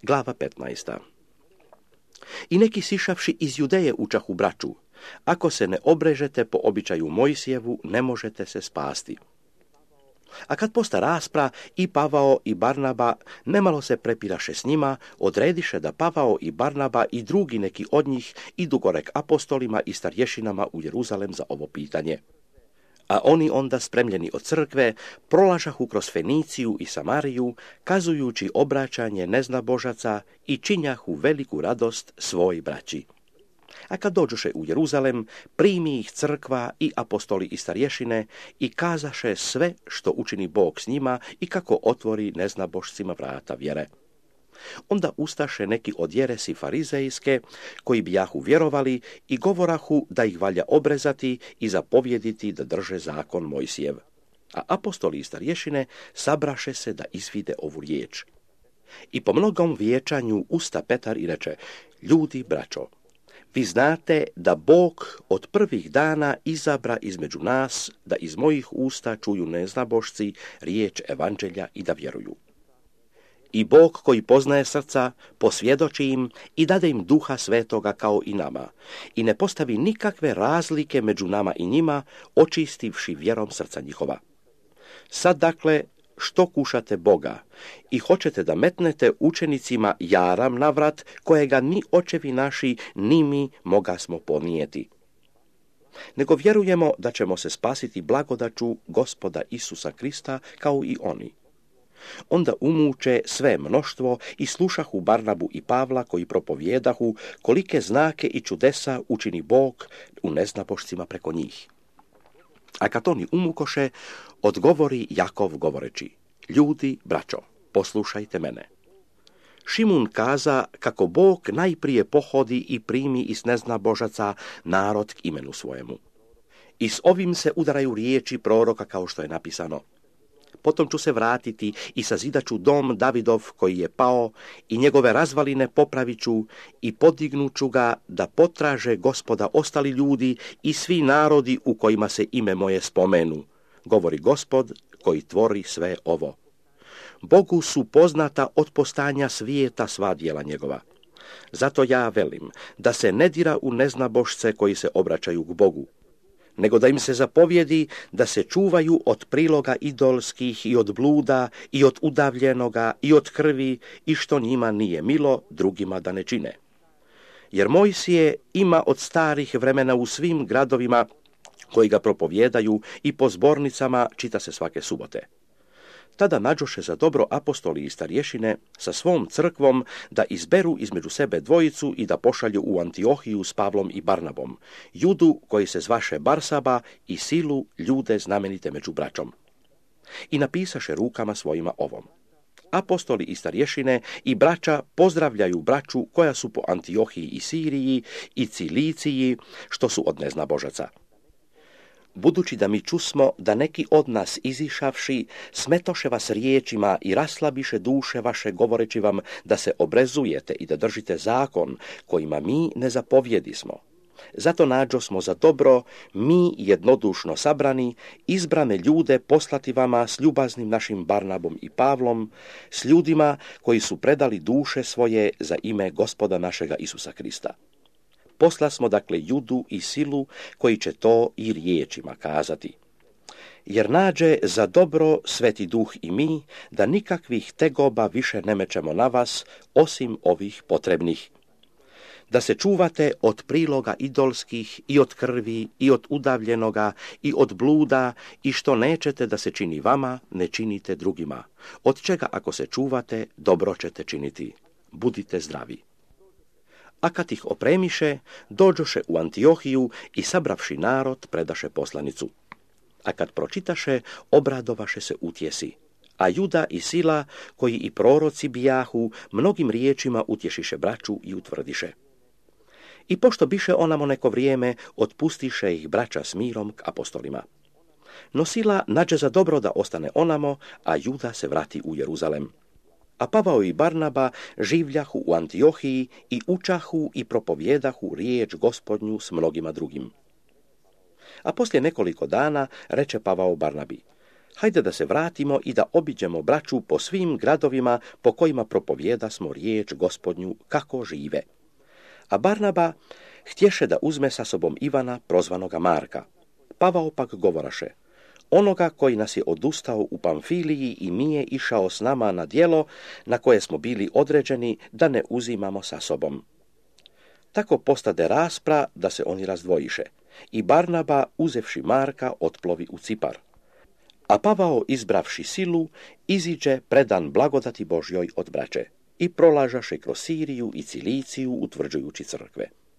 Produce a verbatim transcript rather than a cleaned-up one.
Glava petnaesta. I neki sišavši iz Judeje učahu braću, ako se ne obrežete po običaju Mojsijevu, ne možete se spasti. A kad posta raspra, i Pavao i Barnaba nemalo se prepiraše s njima, odrediše da Pavao i Barnaba i drugi neki od njih idu gore k apostolima i starješinama u Jeruzalem za ovo pitanje. A oni onda, spremljeni od crkve, prolažahu kroz Feniciju i Samariju, kazujući obraćanje neznabožaca i činjahu veliku radost svoj braći. A kad dođoše u Jeruzalem, primi ih crkva i apostoli i starješine i kazaše sve što učini Bog s njima i kako otvori neznabošcima vrata vjere. Onda ustaše neki od jeresi farizejske, koji bijahu vjerovali i govorahu da ih valja obrezati i zapovjediti da drže zakon Mojsijev. A apostoli i starješine sabraše se da izvide ovu riječ. I po mnogom vijećanju usta Petar i reče: ljudi, braćo, vi znate da Bog od prvih dana izabra između nas da iz mojih usta čuju neznabošci riječ evanđelja i da vjeruju. I Bog koji poznaje srca posvjedoči im i dade im duha svetoga kao i nama i ne postavi nikakve razlike među nama i njima, očistivši vjerom srca njihova. Sad dakle, što kušate Boga i hoćete da metnete učenicima jaram na vrat, kojega ni očevi naši ni mi moga smo ponijeti. Nego vjerujemo da ćemo se spasiti blagodaću Gospoda Isusa Krista kao i oni. Onda umuče sve mnoštvo i slušahu Barnabu i Pavla, koji propovjedahu kolike znake i čudesa učini Bog u neznabošcima preko njih. A kad oni umukoše, odgovori Jakov govoreći: ljudi, braćo, poslušajte mene. Šimun kaza kako Bog najprije pohodi i primi iz neznabožaca narod k imenu svojemu. I s ovim se udaraju riječi proroka kao što je napisano: potom ću se vratiti i sazidaću dom Davidov koji je pao i njegove razvaline popravit ću i podignuću ga da potraže Gospoda ostali ljudi i svi narodi u kojima se ime moje spomenu, govori Gospod koji tvori sve ovo. Bogu su poznata od postanja svijeta sva djela njegova. Zato ja velim da se ne dira u neznabošce koji se obraćaju k Bogu, nego da im se zapovjedi da se čuvaju od priloga idolskih i od bluda i od udavljenoga i od krvi i što njima nije milo, drugima da ne čine. Jer Mojsije ima od starih vremena u svim gradovima koji ga propovjedaju i po zbornicama čita se svake subote. Tada nađoše za dobro apostoli i starješine sa svom crkvom da izberu između sebe dvojicu i da pošalju u Antiohiju s Pavlom i Barnabom, Judu koji se zvaše Barsaba i Silu, ljude znamenite među braćom. I napisaše rukama svojima ovom: apostoli i starješine i braća pozdravljaju braću koja su po Antiohiji i Siriji i Ciliciji, što su od neznabožaca. Budući da mi čusmo da neki od nas izišavši smetoše vas riječima i raslabiše duše vaše govoreći vam da se obrezujete i da držite zakon kojima mi ne zapovjedismo. Zato nađo smo za dobro, mi jednodušno sabrani, izbrane ljude poslati vama s ljubaznim našim Barnabom i Pavlom, s ljudima koji su predali duše svoje za ime Gospoda našega Isusa Krista. Posla smo dakle Judu i Silu koji će to i riječima kazati. Jer nađe za dobro Sveti Duh i mi da nikakvih tegoba više ne mečemo na vas osim ovih potrebnih. Da se čuvate od priloga idolskih i od krvi i od udavljenoga i od bluda i što nećete da se čini vama, ne činite drugima. Od čega ako se čuvate, dobro ćete činiti. Budite zdravi. A kad ih opremiše, dođoše u Antiohiju i sabravši narod predaše poslanicu. A kad pročitaše, obradovaše se utjesi. A Juda i Sila, koji i proroci bijahu, mnogim riječima utješiše braću i utvrdiše. I pošto biše onamo neko vrijeme, otpustiše ih braća s mirom k apostolima. No Sila nađe za dobro da ostane onamo, a Juda se vrati u Jeruzalem. A Pavao i Barnaba življahu u Antiohiji i učahu i propovjedahu riječ Gospodnju s mnogima drugim. A poslije nekoliko dana reče Pavao Barnabi: Hajde da se vratimo i da obiđemo braću po svim gradovima po kojima propovijeda smo riječ Gospodnju kako žive. A Barnaba htješe da uzme sa sobom Ivana, prozvanoga Marka. Pavao pak govoraše, onoga koji nas je odustao u Pamfiliji i nije išao s nama na djelo na koje smo bili određeni da ne uzimamo sa sobom. Tako postade raspra da se oni razdvojiše i Barnaba, uzevši Marka, otplovi u Cipar. A Pavao, izbravši silu, iziđe predan blagodati Božjoj od braće i prolažaše kroz Siriju i Ciliciju utvrđujući crkve.